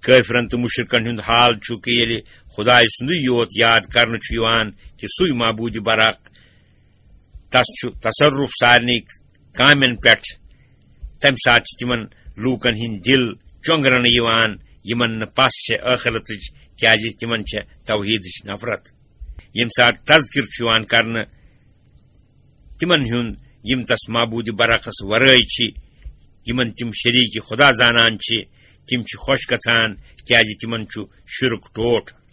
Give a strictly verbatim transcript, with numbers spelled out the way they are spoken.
کٲفرن تہٕ مُشرِکن ہُنٛد حال چھُ کہِ ییٚلہِ خۄداے سُنٛدُے یوت یاد کرنہٕ چھُ یِوان کہِ سُے معبوٗدِ برحق، تس چھُ تصرف سارنٕے کامٮ۪ن پٮ۪ٹھ، تمہِ ساتہٕ چھِ تِمن لوٗکن ہٕنٛدۍ دِل چۄنٛگرنہٕ یِوان، یِمن نہٕ پژھ چھےٚ ٲخرتٕچ، کیازِ تِمن چھےٚ توحیدٕچ نفرت۔ ییٚمہِ ساتہٕ تذکر چھُ یِوان کرنہٕ تِمن ہُنٛد، یِم تس معبوٗدِ برحقس ورٲے چھِ، یِمن تِم شریٖکہِ خۄدا زانان چھِ، تِم چھِ خۄش گژھان، کیازِ تِمن چھُ شرک ٹوٹھ۔